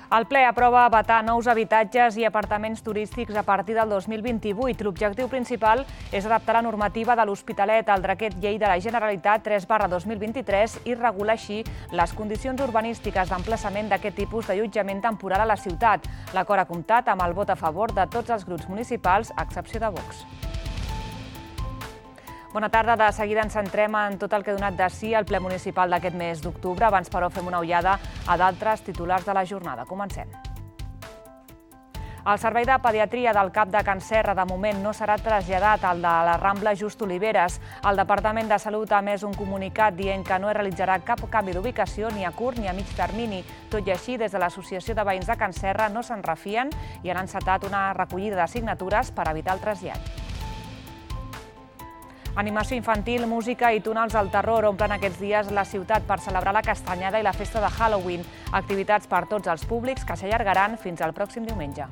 El ple aprova vetar nous habitatges i apartaments turístics a partir del 2028. L'objectiu principal és adaptar la normativa de l'Hospitalet al decret llei de la Generalitat 3/2023 i regular així les condicions urbanístiques d'emplaçament d'aquest tipus d'allotjament temporal a la ciutat. L'acord ha comptat amb el vot a favor de tots els grups municipals, a excepció de Vox. Bona tarda. De seguida ens centrem en tot el que ha donat de si el ple municipal d'aquest mes d'octubre. Abans, però, fem una ullada a d'altres titulars de la jornada. Comencem. El servei de pediatria del CAP de Can Serra de moment no serà traslladat al de la Rambla Just Oliveres. El Departament de Salut ha emès un comunicat dient que no es realitzarà cap canvi d'ubicació ni a curt ni a mig termini. Tot i així, des de l'Associació de Veïns de Can Serra no se'n refien i han encetat una recollida de signatures per evitar el trasllat. Animació infantil, música i túnels al terror omplen aquests dies la ciutat per celebrar la castanyada i la festa de Halloween. Activitats per tots els públics que s'allargaran fins al pròxim diumenge.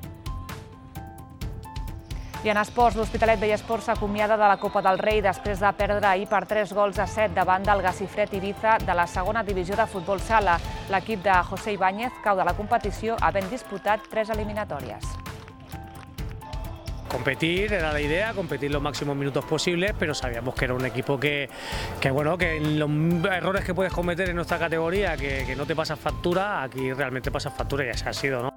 I en esports, l'Hospitalet Bellesport s'acomiada de la Copa del Rei després de perdre ahir per 3-7 davant del Gacifred Ibiza de la segona divisió de futbol sala. L'equip de José Ibáñez cau de la competició havent disputat 3 eliminatòries. Competir era la idea, competir los máximos minutos posibles, pero sabíamos que era un equipo que en los errores que puedes cometer en nuestra categoría, que no te pasas factura, aquí realmente pasas factura y así ha sido, ¿no?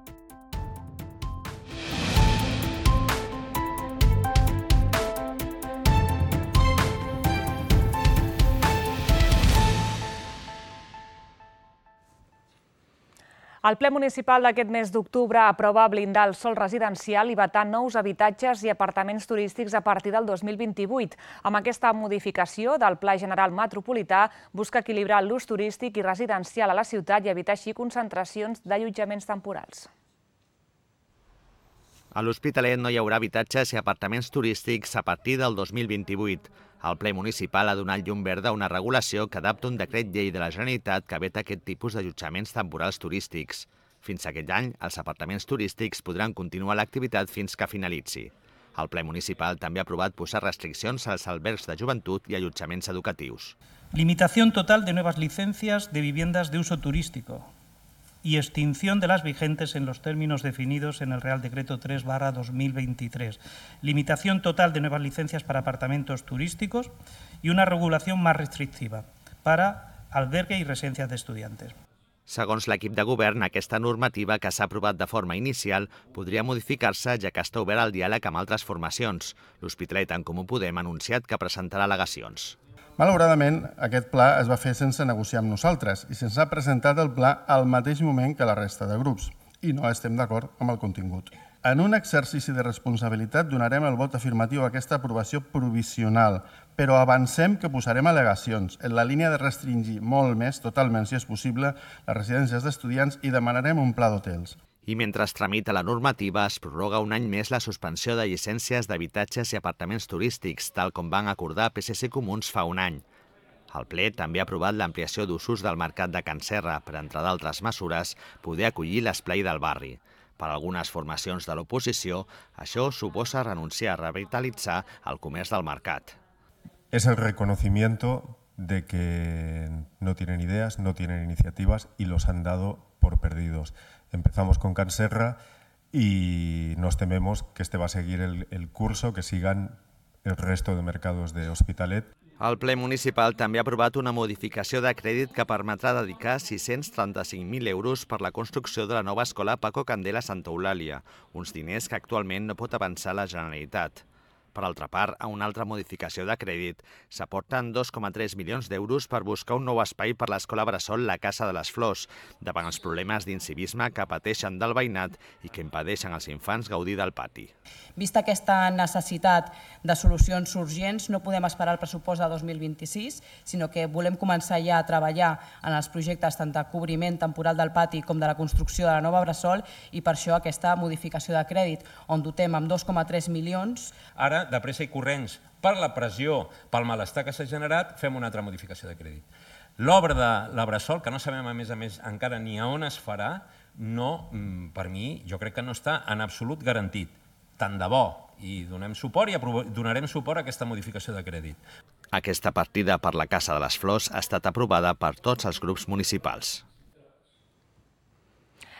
El ple municipal d'aquest mes d'octubre aprova blindar el sòl residencial i vetar nous habitatges i apartaments turístics a partir del 2028. Amb aquesta modificació del Pla General Metropolità busca equilibrar l'ús turístic i residencial a la ciutat i evitar així concentracions d'allotjaments temporals. A l'Hospitalet no hi haurà habitatges i apartaments turístics a partir del 2028. El ple municipal ha donat llum verda a una regulació que adapta un decret llei de la Generalitat que veta aquest tipus d'allotjaments temporals turístics. Fins aquest any, els apartaments turístics podran continuar l'activitat fins que finalitzi. El ple municipal també ha aprovat posar restriccions als albergs de joventut i allotjaments educatius. Limitación total de nuevas licencias de viviendas de uso turístico y extinción de las vigentes en los términos definidos en el Real Decreto 3/2023. Limitación total de nuevas licencias para apartamentos turísticos y una regulación más restrictiva para albergue y residencias de estudiantes. Segons l'equip de govern, aquesta normativa que s'ha aprovat de forma inicial podria modificar-se ja que està obert al diàleg amb altres formacions. L'Hospitalet en Comú Podem ha anunciat que presentarà al·legacions. Malauradament, aquest pla es va fer sense negociar amb nosaltres i se'ns ha presentat el pla al mateix moment que la resta de grups i no estem d'acord amb el contingut. En un exercici de responsabilitat donarem el vot afirmatiu a aquesta aprovació provisional, però avancem que posarem al·legacions en la línia de restringir molt més, totalment si és possible, les residències d'estudiants i demanarem un pla d'hotels. I mentre es tramita la normativa, es prorroga un any més la suspensió de llicències d'habitatges i apartaments turístics, tal com van acordar PSC i Comuns fa un any. El ple també ha aprovat l'ampliació d'usos del mercat de Can Serra per, entre d'altres mesures, poder acollir l'esplai del barri. Per a algunes formacions de l'oposició, això suposa renunciar a revitalitzar el comerç del mercat. Es el reconocimiento de que no tienen ideas, no tienen iniciativas y los han dado por perdidos. Empezamos con Can Serra y nos tememos que este va a seguir el curso, que sigan el resto de mercados de Hospitalet. El ple municipal també ha aprovat una modificació de crèdit que permetrà dedicar 635.000 euros per la construcció de la nova escola Paco Candela a Santa Eulàlia, uns diners que actualment no pot avançar la Generalitat. Per altra part, a una altra modificació de crèdit, s'aporten 2,3 milions d'euros per buscar un nou espai per l'escola bressol La Casa de les Flors, davant els problemes d'incivisme que pateixen del veïnat i que impedeixen als infants gaudir del pati. Vista aquesta necessitat de solucions urgents, no podem esperar el pressupost de 2026, sinó que volem començar ja a treballar en els projectes tant de cobriment temporal del pati com de la construcció de la nova bressol i per això aquesta modificació de crèdit, on dotem amb 2,3 milions. Ara, de pressa i corrents, per la pressió, pel malestar que s'ha generat, fem una altra modificació de crèdit. L'obra de la bressol, que no sabem a més encara ni a on es farà, no, per mi, jo crec que no està en absolut garantit. Tant de bo, i donem suport i donarem suport a aquesta modificació de crèdit. Aquesta partida per la Casa de les Flors ha estat aprovada per tots els grups municipals.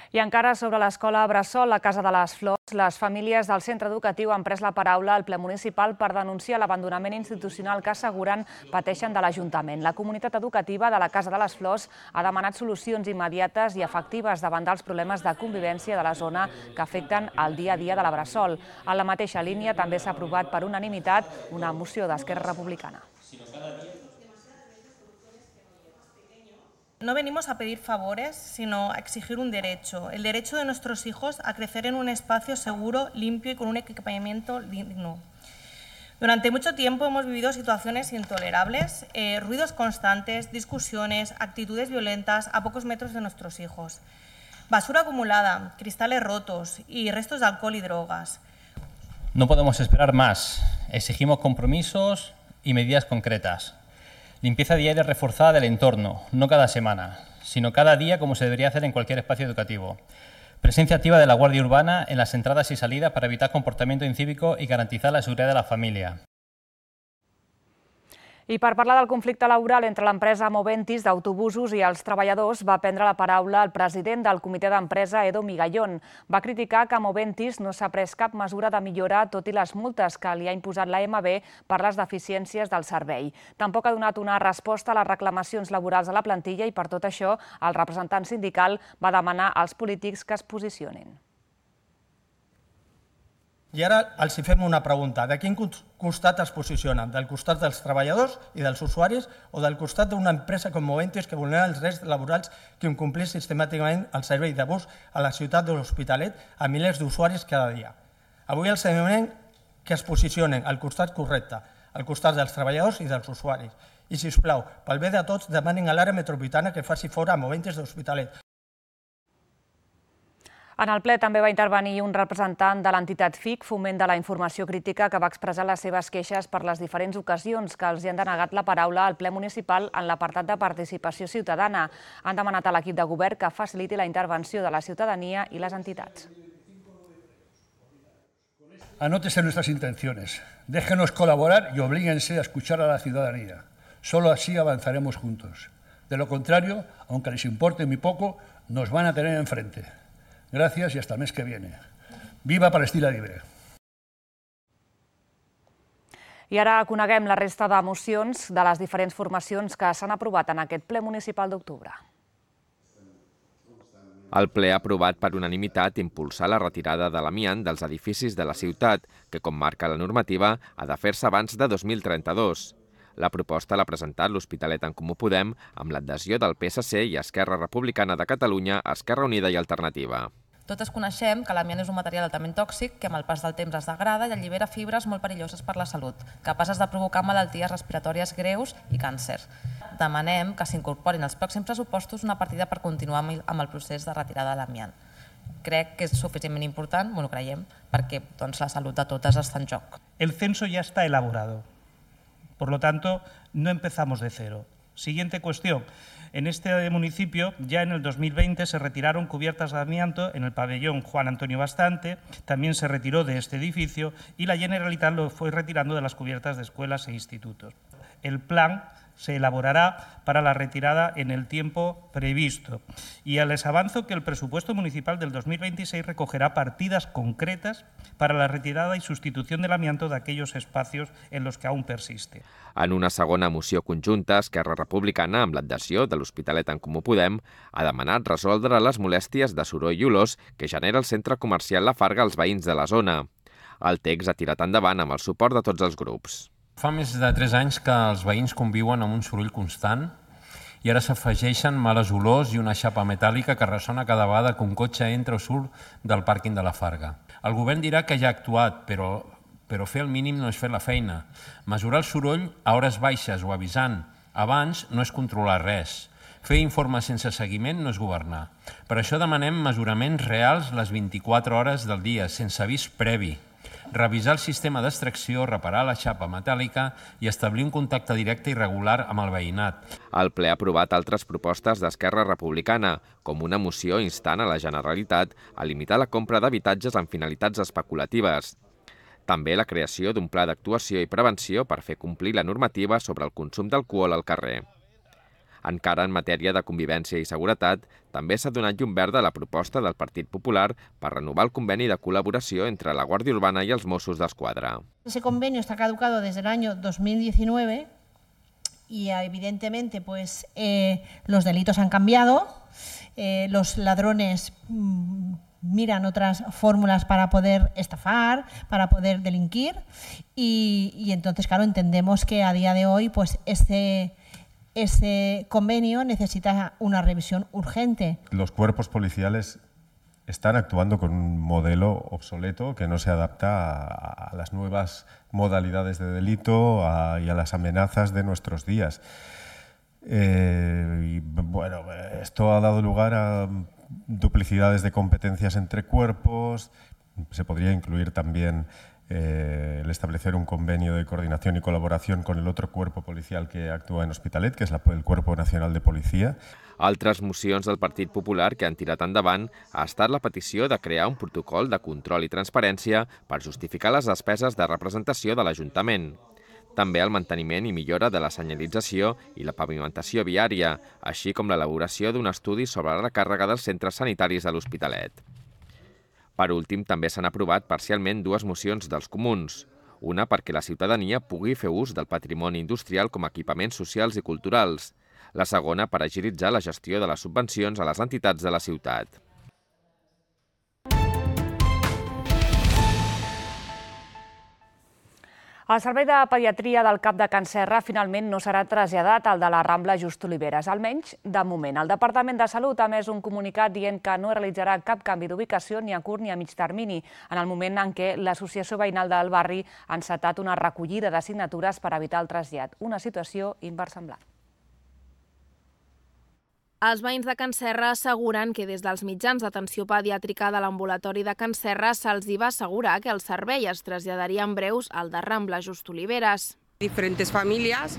I encara sobre l'escola Bressol, la Casa de les Flors, les famílies del centre educatiu han pres la paraula al ple municipal per denunciar l'abandonament institucional que asseguren pateixen de l'Ajuntament. La comunitat educativa de la Casa de les Flors ha demanat solucions immediates i efectives davant dels problemes de convivència de la zona que afecten el dia a dia de la Bressol. En la mateixa línia també s'ha aprovat per unanimitat una moció d'Esquerra Republicana. No venimos a pedir favores, sino a exigir un derecho, el derecho de nuestros hijos a crecer en un espacio seguro, limpio y con un equipamiento digno. Durante mucho tiempo hemos vivido situaciones intolerables, ruidos constantes, discusiones, actitudes violentas a pocos metros de nuestros hijos. Basura acumulada, cristales rotos y restos de alcohol y drogas. No podemos esperar más. Exigimos compromisos y medidas concretas. Limpieza diaria reforzada del entorno, no cada semana, sino cada día como se debería hacer en cualquier espacio educativo. Presencia activa de la Guardia Urbana en las entradas y salidas para evitar comportamiento incívico y garantizar la seguridad de la familia. I per parlar del conflicte laboral entre l'empresa Moventis d'autobusos i els treballadors va prendre la paraula el president del comitè d'empresa, Edo Migallón. Va criticar que Moventis no s'ha pres cap mesura de millora, tot i les multes que li ha imposat l'AMB per les deficiències del servei. Tampoc ha donat una resposta a les reclamacions laborals de la plantilla i per tot això el representant sindical va demanar als polítics que es posicionin. I ara els fem una pregunta. De quin costat es posicionen? Del costat dels treballadors i dels usuaris o del costat d'una empresa com Moventis que vulnera els drets laborals que incompleix sistemàticament el servei de bus a la ciutat de l'Hospitalet a milers d'usuaris cada dia? Avui els demanem que es posicionen al costat correcte, al costat dels treballadors i dels usuaris. I, sisplau, pel bé de tots, demanin a l'àrea metropolitana que faci fora a Moventis de l'Hospitalet. En el ple també va intervenir un representant de l'entitat FIC, Foment de la Informació Crítica, que va expressar les seves queixes per les diferents ocasions que els hi han denegat la paraula al ple municipal en l'apartat de participació ciutadana. Han demanat a l'equip de govern que faciliti la intervenció de la ciutadania i les entitats. Anótese nuestras intenciones. Déjenos colaborar y oblíguense a escuchar a la ciudadanía. Solo así avanzaremos juntos. De lo contrario, aunque les importe muy poco, nos van a tener enfrente. Gracias y hasta el mes que viene. Viva Palestina Libre! I ara coneguem la resta de mocions de les diferents formacions que s'han aprovat en aquest ple municipal d'octubre. El ple ha aprovat per unanimitat impulsar la retirada de l'amiant dels edificis de la ciutat, que, com marca la normativa, ha de fer-se abans de 2032. La proposta l'ha presentat l'Hospitalet en Comú Podem amb l'adhesió del PSC i Esquerra Republicana de Catalunya, Esquerra Unida i Alternativa. Totes coneixem que l'amiant és un material altament tòxic que amb el pas del temps es degrada i allibera fibres molt perilloses per la salut, capaces de provocar malalties respiratòries greus i càncer. Demanem que s'incorporin als pròxims pressupostos una partida per continuar amb el procés de retirada de l'amiant. Crec que és suficientment important, bueno, creiem, perquè la salut de totes està en joc. El censo ya está elaborado. Por lo tanto, no empezamos de cero. Siguiente cuestión. En este municipio, ya en el 2020, se retiraron cubiertas de amianto en el pabellón Juan Antonio Bastante, también se retiró de este edificio y la Generalitat lo fue retirando de las cubiertas de escuelas e institutos. El plan se elaborará para la retirada en el tiempo previsto. Y les avanzo que el presupuesto municipal del 2026 recogerá partidas concretas para la retirada y sustitución del amianto de aquellos espacios en los que aún persiste. En una segona moció conjunta, Esquerra Republicana, amb l'adhesió de l'Hospitalet en Comú Podem, ha demanat resoldre les molèsties de soroll i olors que genera el centre comercial La Farga als veïns de la zona. El text ha tirat endavant amb el suport de tots els grups. Fa més de 3 anys que els veïns conviuen amb un soroll constant i ara s'afegeixen males olors i una xapa metàl·lica que ressona cada vegada que un cotxe entra o surt del pàrquing de la Farga. El govern dirà que ja ha actuat, però fer el mínim no és fer la feina. Mesurar el soroll a hores baixes o avisant abans no és controlar res. Fer informes sense seguiment no és governar. Per això demanem mesuraments reals les 24 hores del dia, sense avís previ. Revisar el sistema d'extracció, reparar la xapa metàl·lica i establir un contacte directe i regular amb el veïnat. El ple ha aprovat altres propostes d'Esquerra Republicana, com una moció instant a la Generalitat a limitar la compra d'habitatges amb finalitats especulatives. També la creació d'un pla d'actuació i prevenció per fer complir la normativa sobre el consum d'alcohol al carrer. Encara en matèria de convivència i seguretat, també s'ha donat llum verda a la proposta del Partit Popular per renovar el conveni de col·laboració entre la Guàrdia Urbana i els Mossos d'Esquadra. Ese convenio está caducado desde el año 2019 y evidentemente pues, los delitos han cambiado, los ladrones miran otras fórmulas para poder estafar, para poder delinquir y entonces, claro, entendemos que a día de hoy pues ese convenio necesita una revisión urgente. Los cuerpos policiales están actuando con un modelo obsoleto que no se adapta a las nuevas modalidades de delito y a las amenazas de nuestros días. Y bueno, esto ha dado lugar a duplicidades de competencias entre cuerpos. Se podría incluir también el establecer un convenio de coordinación y colaboración con el otro cuerpo policial que actúa en Hospitalet, que és el Cuerpo Nacional de Policia. Altres mocions del Partit Popular que han tirat endavant ha estat la petició de crear un protocol de control i transparència per justificar les despeses de representació de l'Ajuntament. També el manteniment i millora de la senyalització i la pavimentació viària, així com l'elaboració d'un estudi sobre la recàrrega dels centres sanitaris de l'Hospitalet. Per últim, també s'han aprovat parcialment dues mocions dels comuns. Una perquè la ciutadania pugui fer ús del patrimoni industrial com a equipaments socials i culturals. La segona per agilitzar la gestió de les subvencions a les entitats de la ciutat. El servei de pediatria del CAP de Can Serra finalment no serà traslladat al de la Rambla Just Oliveres, almenys de moment. El Departament de Salut ha emès un comunicat dient que no realitzarà cap canvi d'ubicació ni a curt ni a mig termini, en el moment en què l'Associació Veïnal del Barri ha encetat una recollida de signatures per evitar el trasllat, una situació inversemblant. Els veïns de Can Serra asseguren que des dels mitjans d'atenció pediàtrica de l'ambulatori de Can Serra se'ls va assegurar que el servei es traslladaria en breus al de Rambla Just Oliveres. Diferentes familias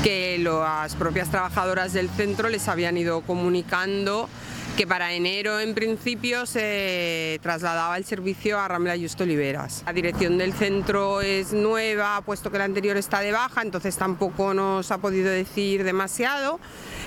que las propias trabajadoras del centro les habían ido comunicando que para enero en principio se trasladaba el servicio a Rambla Just Oliveres. La dirección del centro es nueva, puesto que la anterior está de baja, entonces tampoco nos ha podido decir demasiado,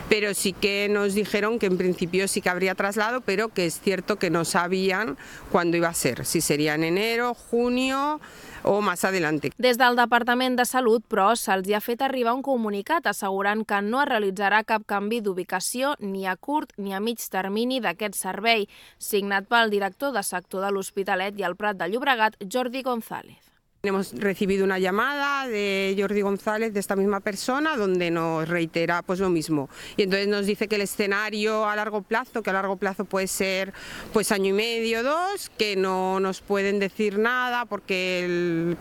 pero sí que nos dijeron que en principio sí que habría traslado, pero que es cierto que no sabían cuándo iba a ser, si sería en enero, junio o més adelante. Des del Departament de Salut, però, se'ls ha fet arribar un comunicat assegurant que no es realitzarà cap canvi d'ubicació ni a curt ni a mig termini d'aquest servei, signat pel director de sector de l'Hospitalet i el Prat de Llobregat, Jordi González. Hemos recibido una llamada de Jordi González, de esta misma persona, donde nos reitera pues lo mismo. Y entonces nos dice que el escenario a largo plazo, que a largo plazo puede ser pues año y medio, 2, que no nos pueden decir nada porque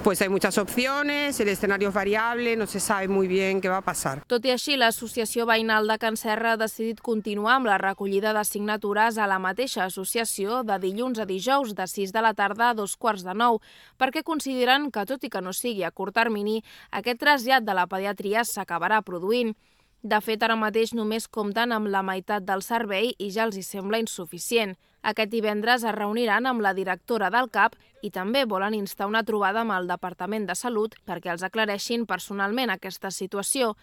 pues hay muchas opciones, el escenario es variable, no se sabe muy bien qué va a pasar. Tot i així, l'Associació Veïnal de Can Serra ha decidit continuar amb la recollida de signatures a la mateixa associació de dilluns a dijous de 6 de la tarda a 8:45, perquè consideren que, tot i que no sigui a curt termini, aquest trasllat de la pediatria s'acabarà produint. De fet, ara mateix només compten amb la meitat del servei i ja els hi sembla insuficient. Aquest divendres es reuniran amb la directora del CAP i també volen instar una trobada amb el Departament de Salut perquè els aclareixin personalment aquesta situació.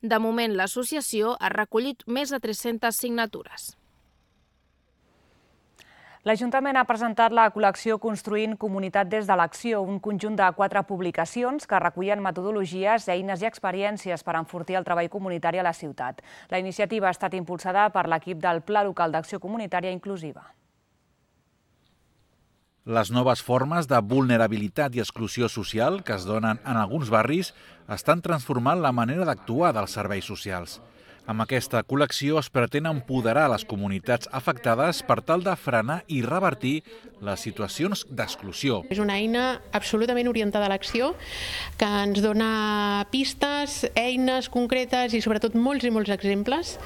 De moment, l'associació ha recollit més de 300 signatures. L'Ajuntament ha presentat la col·lecció Construint Comunitat des de l'Acció, un conjunt de 4 publicacions que recullen metodologies, eines i experiències per enfortir el treball comunitari a la ciutat. La iniciativa ha estat impulsada per l'equip del Pla Local d'Acció Comunitària Inclusiva. Les noves formes de vulnerabilitat i exclusió social que es donen en alguns barris estan transformant la manera d'actuar dels serveis socials. Amb aquesta col·lecció es pretén empoderar les comunitats afectades per tal de frenar i revertir les situacions d'exclusió. És una eina absolutament orientada a l'acció que ens dona pistes, eines concretes i sobretot molts i molts exemples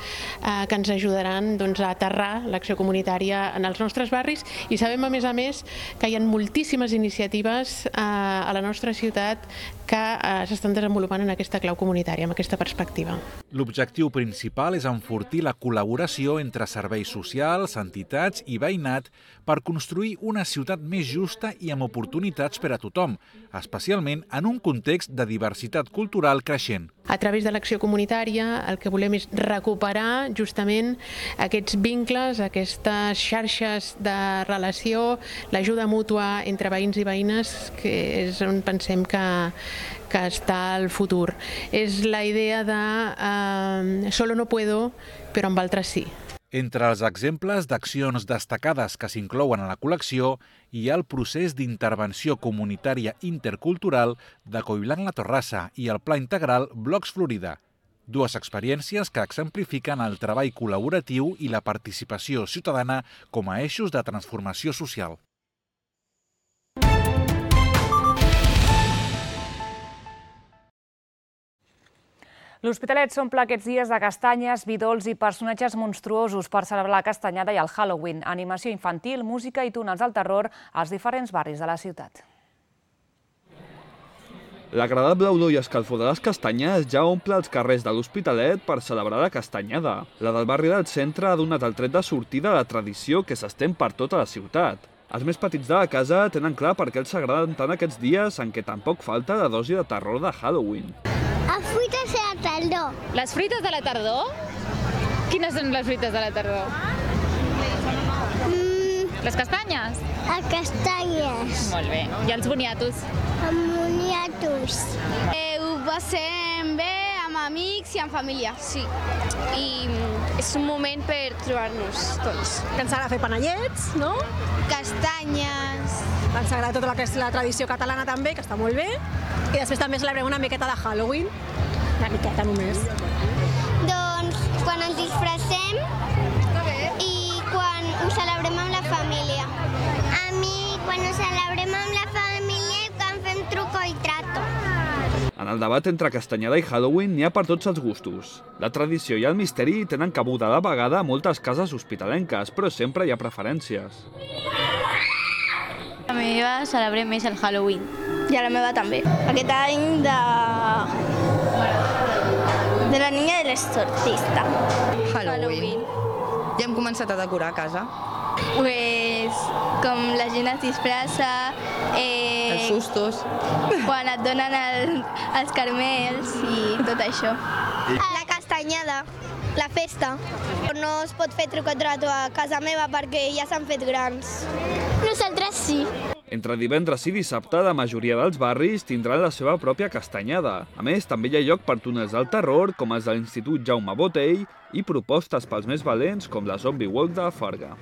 que ens ajudaran a aterrar l'acció comunitària en els nostres barris i sabem a més que hi ha moltíssimes iniciatives a la nostra ciutat que s'estan desenvolupant en aquesta clau comunitària, amb aquesta perspectiva. L'objectiu principal és enfortir la col·laboració entre serveis socials, entitats i veïnat per construir una ciutat més justa i amb oportunitats per a tothom, especialment en un context de diversitat cultural creixent. A través de l'acció comunitària el que volem és recuperar justament aquests vincles, aquestes xarxes de relació, l'ajuda mútua entre veïns i veïnes, que és on pensem que està el futur. És la idea de solo no puedo, però amb altres sí. Entre els exemples d'accions destacades que s'inclouen a la col·lecció hi ha el procés d'intervenció comunitària intercultural de Collblanc La Torrassa i el Pla Integral Blocs Florida, dues experiències que exemplifiquen el treball col·laboratiu i la participació ciutadana com a eixos de transformació social. L'Hospitalet s'omple aquests dies de castanyes, vi dolç i personatges monstruosos per celebrar la castanyada i el Halloween, animació infantil, música i túnels al terror als diferents barris de la ciutat. L'agradable olor i escalfor de les castanyes ja omple els carrers de l'Hospitalet per celebrar la castanyada. La del barri del centre ha donat el tret de sortida a la tradició que s'estén per tota la ciutat. Els més petits de la casa tenen clar per què els agraden tant aquests dies en què tampoc falta la dosi de terror de Halloween. Les fruites de la tardor. Les fruites de la tardor? Quines són les fruites de la tardor? Les castanyes? Les castanyes. Molt bé. I els boniatos? Els boniatos. Ho passem bé amb amics i amb família, sí. I és un moment per trobar-nos tots. Que ens agrada fer panellets, no? Castanyes. Ens agrada tota la tradició catalana també, que està molt bé. I després també celebrem una miqueta de Halloween. Una miqueta només. Doncs quan ens disfressem i quan ho celebrem amb la família. A mi, quan ho celebrem amb la família i quan fem truco i trato. En el debat entre castanyada i Halloween n'hi ha per tots els gustos. La tradició i el misteri tenen cabuda a la vegada a moltes cases hospitalenques, però sempre hi ha preferències. La meva celebrem més el Halloween. I a la meva també. Aquest any de la niña de l'exorcista. Halloween. Ja hem començat a decorar a casa. Pues com la gent es disfressa... Els sustos. Quan et donen els carmels i tot això. La castanyada, la festa. No es pot fer truc o trato a casa meva perquè ja s'han fet grans. Nosaltres sí. Entre divendres i dissabte, la majoria dels barris tindran la seva pròpia castanyada. A més, també hi ha lloc per túnels del terror, com els de l'Institut Jaume Botey, i propostes pels més valents, com la Zombie Walk de Farga.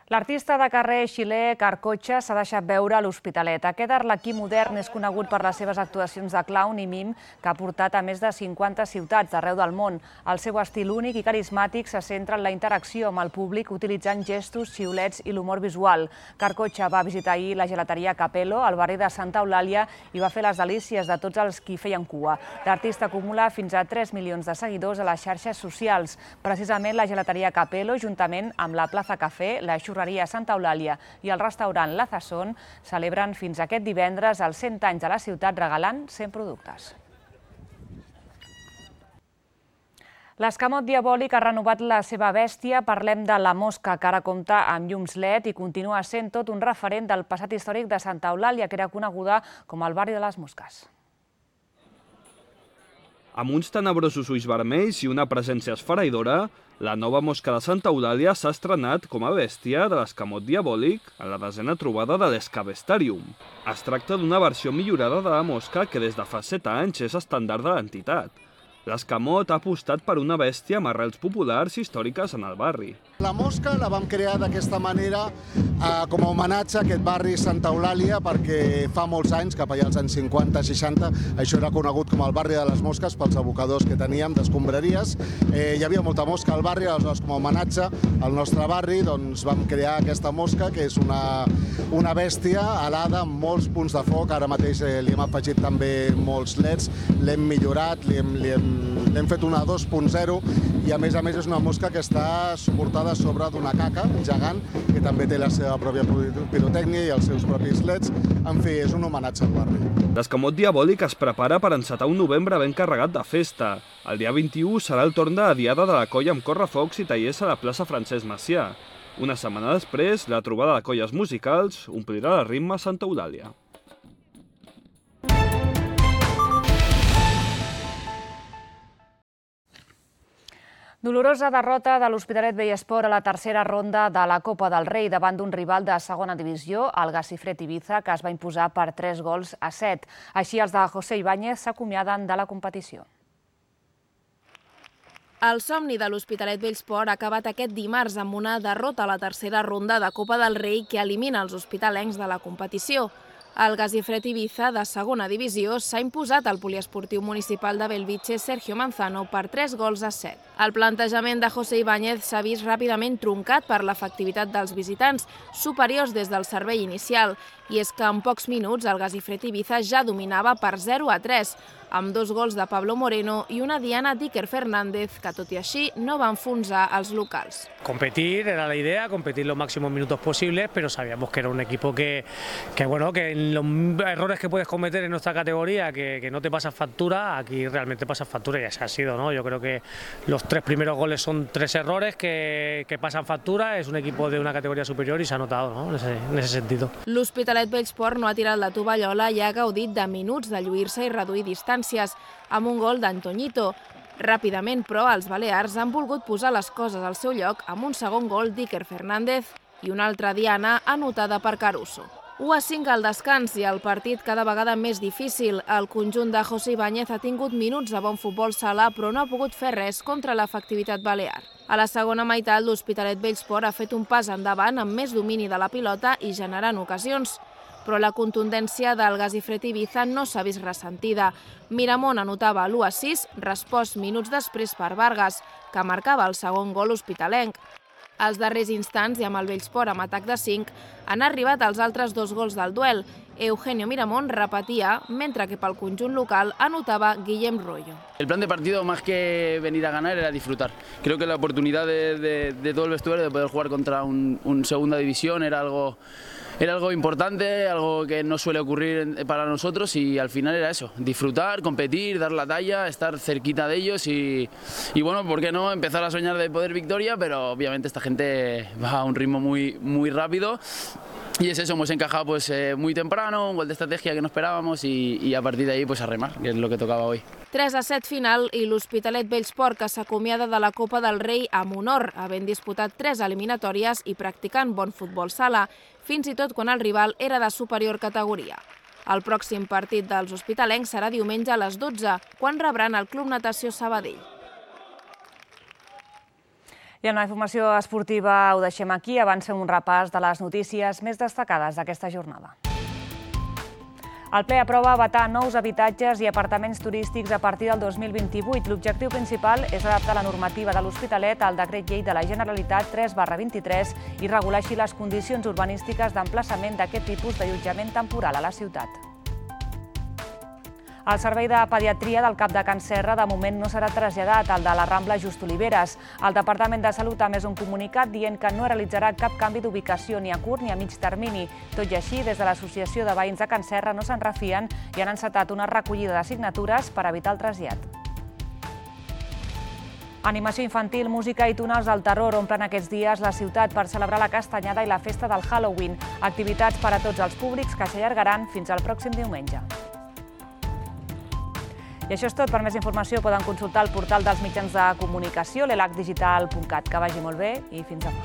L'artista de carrer xilè Carcotxa s'ha deixat veure a l'Hospitalet. Aquest arlequí modern és conegut per les seves actuacions de clown i mim que ha portat a més de 50 ciutats d'arreu del món. El seu estil únic i carismàtic se centra en la interacció amb el públic utilitzant gestos, xiulets i l'humor visual. Carcotxa va visitar ahir la gelateria Capello, al barri de Santa Eulàlia, i va fer les delícies de tots els qui feien cua. L'artista acumula fins a 3 milions de seguidors a les xarxes socials. Precisament la gelateria Capello, juntament amb la Plaza Café, la Santa Eulàlia i el restaurant La Zazón celebren fins aquest divendres els 100 anys de la ciutat regalant 100 productes. L'escamot diabòlic ha renovat la seva bèstia. Parlem de la mosca, que ara compta amb llums LED i continua sent tot un referent del passat històric de Santa Eulàlia, que era coneguda com el barri de les mosques. Amb uns tenebrosos ulls vermells i una presència esfereïdora, la nova mosca de Santa Eulàlia s'ha estrenat com a bèstia de l'escamot diabòlic en la 10a trobada de l'Escabestarium. Es tracta d'una versió millorada de la mosca que des de fa 7 anys és estàndard de l'entitat. L'escamot ha apostat per una bèstia amb arrels populars i històriques en el barri. La mosca la vam crear d'aquesta manera com a homenatge a aquest barri Santa Eulàlia perquè fa molts anys, cap allà als anys 50-60, això era conegut com el barri de les mosques pels abocadors que teníem d'escombraries. Hi havia molta mosca al barri, aleshores com a homenatge al nostre barri doncs, vam crear aquesta mosca que és una bèstia alada amb molts punts de foc. Ara mateix li hem afegit també molts LEDs, l'hem millorat, l'hem fet una 2.0 i a més és una mosca que està suportada sobre d'una caca gegant que també té la seva pròpia pirotècnia i els seus propis LEDs. En fi, és un homenatge al barri. L'escamot diabòlic es prepara per encetar un novembre ben carregat de festa. El dia 21 serà el torn de la diada de la colla amb correfocs i tallers a la plaça Francesc Macià. Una setmana després, la trobada de colles musicals omplirà de ritme Santa Eulàlia. Dolorosa derrota de l'Hospitalet Vellesport a la tercera ronda de la Copa del Rei davant d'un rival de segona divisió, el Gacifred Ibiza, que es va imposar per 3-7. Així, els de José Ibáñez s'acomiaden de la competició. El somni de l'Hospitalet Vellesport ha acabat aquest dimarts amb una derrota a la tercera ronda de Copa del Rei que elimina els hospitalencs de la competició. El Gacifred Ibiza, de segona divisió, s'ha imposat al poliesportiu municipal de Belvitge Sergio Manzano per 3-7. El plantejament de José Ibáñez s'ha vist ràpidament truncat per l'efectivitat dels visitants, superiors des del servei inicial, i és que en pocs minuts el Gacifred Ibiza ja dominava per 0-3, amb 2 gols de Pablo Moreno i una diana d'Iker Fernández, que tot i així no va enfonsar els locals. Competir era la idea, competir los máximos minutos posibles, pero sabíamos que era un equipo que en los errores que puedes cometer en nuestra categoría, que no te pasas factura, aquí realmente pasas factura y así ha sido, ¿no? Yo creo que los 3 primeros goles son 3 errores que pasan factura, es un equipo de una categoría superior y se ha notado, ¿no? en ese sentido. L'Hospitalet Vellesport no ha tirat la tovallola i ha gaudit de minuts de lluir-se i reduir distàncies, amb un gol d'Antoñito. Ràpidament, però, els balears han volgut posar les coses al seu lloc amb un segon gol d'Iker Fernández i una altra diana anotada per Caruso. 1-5 al descans i el partit cada vegada més difícil. El conjunt de José Ibáñez ha tingut minuts de bon futbol sala, però no ha pogut fer res contra l'efectivitat balear. A la segona meitat, l'Hospitalet Vellesport ha fet un pas endavant amb més domini de la pilota i generant ocasions. Però la contundència del Gacifred Ibiza no s'ha vist ressentida. Miramón anotava l'1-6, respost minuts després per Vargas, que marcava el segon gol hospitalenc. Als darrers instants, i amb el Vellesport amb atac de 5, han arribat els altres 2 gols del duel. Eugenio Miramón repetia, mentre que pel conjunt local anotava Guillem Royo. El plan de partido, más que venir a ganar, era disfrutar. Creo que la oportunidad de todo el vestuario de poder jugar contra un segunda división era algo importante, algo que no suele ocurrir para nosotros, y al final era eso, disfrutar, competir, dar la talla, estar cerquita de ellos y bueno, ¿por qué no empezar a soñar de poder victoria? Pero obviamente esta gente va a un ritmo muy rápido. Y es eso, hemos encajado pues muy temprano, un gol de estrategia que no esperábamos y a partir de ahí pues a remar, que es lo que tocaba hoy. 3-7 final i l'Hospitalet Vellesport, que s'acomiada de la Copa del Rei amb honor, havent disputat 3 eliminatòries i practicant bon futbol sala, fins i tot quan el rival era de superior categoria. El pròxim partit dels hospitalencs serà diumenge a les 12, quan rebran el Club Natació Sabadell. I en la informació esportiva ho deixem aquí. Abans fem un repàs de les notícies més destacades d'aquesta jornada. El ple aprova vetar nous habitatges i apartaments turístics a partir del 2028. L'objectiu principal és adaptar la normativa de l'Hospitalet al decret llei de la Generalitat 3/23 i regular així les condicions urbanístiques d'emplaçament d'aquest tipus d'allotjament temporal a la ciutat. El servei de pediatria del CAP de Can Serra de moment no serà traslladat al de la Rambla Just Oliveres. El Departament de Salut ha emès un comunicat dient que no realitzarà cap canvi d'ubicació ni a curt ni a mig termini. Tot i així, des de l'Associació de Veïns de Can Serra no se'n refien i han encetat una recollida de signatures per evitar el trasllat. Animació infantil, música i túnels del terror omplen aquests dies la ciutat per celebrar la castanyada i la festa del Halloween. Activitats per a tots els públics que s'allargaran fins al pròxim diumenge. I això és tot. Per més informació poden consultar el portal dels mitjans de comunicació, l'elacdigital.cat. Que vagi molt bé i fins demà.